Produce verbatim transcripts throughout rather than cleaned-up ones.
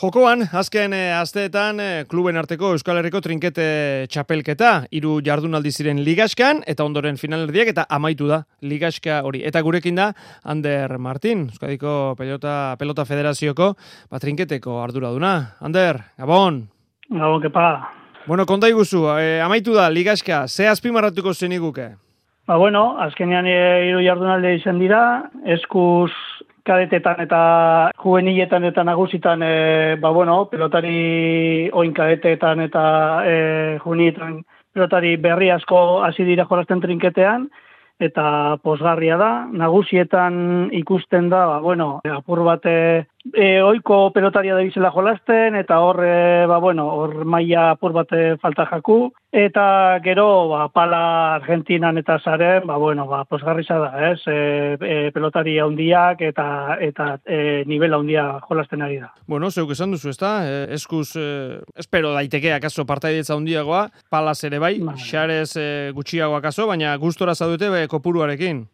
Jokoan, azken e, asteetan e, kluben arteko Euskal Herriko trinkete txapelketa, hiru jardunaldi ziren ligaskan, eta ondoren finalerdiak, eta amaitu da ligaska hori. Eta gurekin da, Ander Martin, Euskadiko Pelota, Pelota Federazioko, ba, trinketeko arduraduna. Ander, Gabon! Gabon, kepa! Bueno, konta iguzu, e, amaitu da ligaska, ze azpimarratuko zeniguke? Ba, bueno, azkenean e, hiru jardunaldi izan dira, eskuz kadetetan eta juveniletan eta nagusitan, e, ba, bueno, pelotari oin kadetetan eta e, juveniletan pelotari berri asko hasi dira jolasten trinketean, eta posgarria da. Nagusietan ikusten da, ba, bueno, apur bat e, oiko pelotaria da bizela jolasten, eta hor, e, ba, bueno, hor maila apur bat falta jaku, eta gero, ba, pala Argentinan eta zaren, ba, bueno, ba, posgarriza da, ez? E, e, pelotari handiak eta eta e, nivel handia jolasten ari da. Bueno, zeuk esan duzu, ezta? E, eskuz, e, espero daiteke akaso partaidetza handiagoa, palaz ere bai, xarez e, gutxiago akaso, baina gustora zaudete be, kopuruarekin.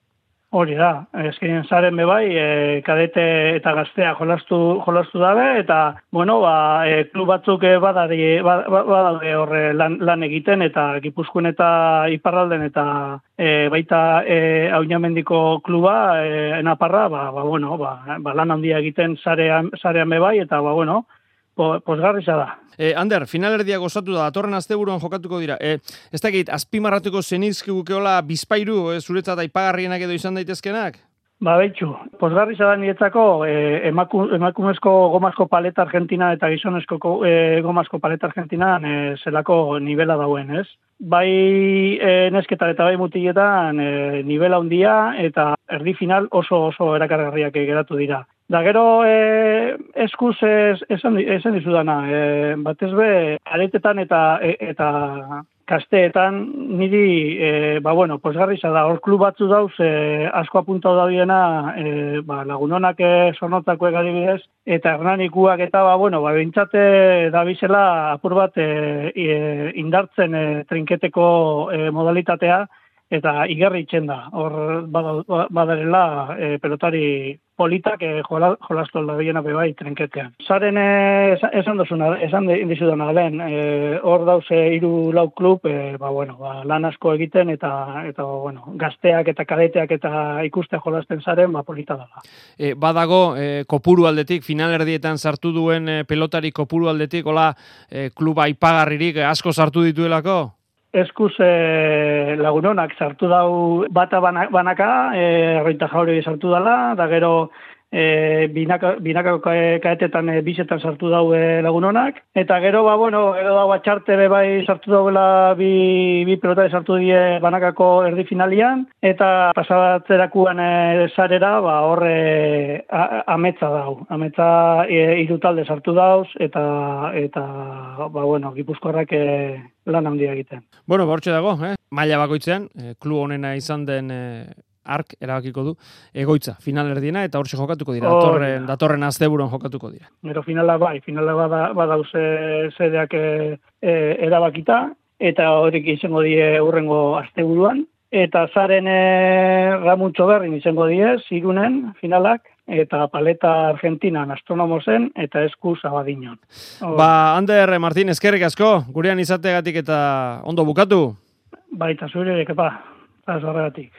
Hori da, ezkenean zaren bebai, e, kadete eta gaztea jolastu, jolastu dabe, eta, bueno, ba, e, klub batzuk badari, badaude horre lan, lan egiten, eta Gipuzkoan eta Iparralden, eta e, baita e, Auñamendiko kluba, e, Naparra, ba, ba, bueno, ba, ba, lan handia egiten zarean, zarean bebai, eta, ba, bueno, posgarriza da. E, Ander, finalerdia gozatu da, datorren asteburuan jokatuko dira. E, ez dakit, azpimarratuko zenizkigukeola bizpairu, e, zuretzat aipagarrienak edo izan daitezkenak? Ba, betxu, posgarriza da niretzako e, emaku, emakumezko gomazko paleta Argentina eta gizonezko e, gomazko paleta Argentina e, zelako nivela dauen, ez? Bai e, nesketan eta bai mutiletan e, nivela handia eta erdi final oso oso erakargarriak geratu dira. Da gero e, eskuz ez, esan, esan dizudana, e, batez be, aretetan eta e, eta kasteetan niri, e, ba bueno, posgarriza da, hor klub batzu dauz, e, asko apuntau da biena, e, ba, lagunonak e, sornotako egadibidez, eta hernanikuak eta, ba bueno, ba, bintzate da bizela apur bat e, e, indartzen e, trinketeko e, modalitatea, eta igarri itxen da, hor badarela e, pelotari politak e, jolastu alda biena bebai trinketean. Zaren e, esan duzuna, esan dizudana lehen, e, hor dauze hiru lau klub, e, ba, bueno, ba, lan asko egiten, eta, eta bueno, gazteak eta kadeteak eta ikustea jolasten zaren, ba, polita dela. E, badago, e, kopuru aldetik, finalerdietan sartu duen e, pelotari kopuru aldetik, hola, e, kluba aipagarririk asko sartu dituelako? Eskuz e, lagunonak sartu dau bata banaka, e, Arroita Jauri sartu dela, da gero e, binaka, binaka kaetetan e, bizetan sartu dau e, lagunonak, eta gero, ba, bueno, gero dau atxarte bai sartu dauela bi, bi pelotari sartu die banakako erdi finalian, eta pasabatzerakuan e, zarera, ba, horre ametza dau. Ametza e, hiru talde sartu dauz, eta, eta ba, bueno, Gipuzkoarrak e, lan handia egiten. Bueno, bortxe dago, eh? Maila bakoitzean, eh, klub honena izan den eh, ark erabakiko du egoitza finalerdiena, eta hortxe jokatuko dira, oh, datorren, datorren asteburuan jokatuko dira. Gero finala bai, finala bada, badauz zedeak e, e, erabakita, eta horrek izango die urrengo asteburuan, eta zaren e, Ramuntxo berrin izango die, zirunen finalak, eta paleta Argentinan astronomozen, eta eskuz abadinon. Oh. Ba, Ander Martin, eskerrik asko, gurean izategatik eta ondo bukatu? Baita zure, kepa, eta zorregatik.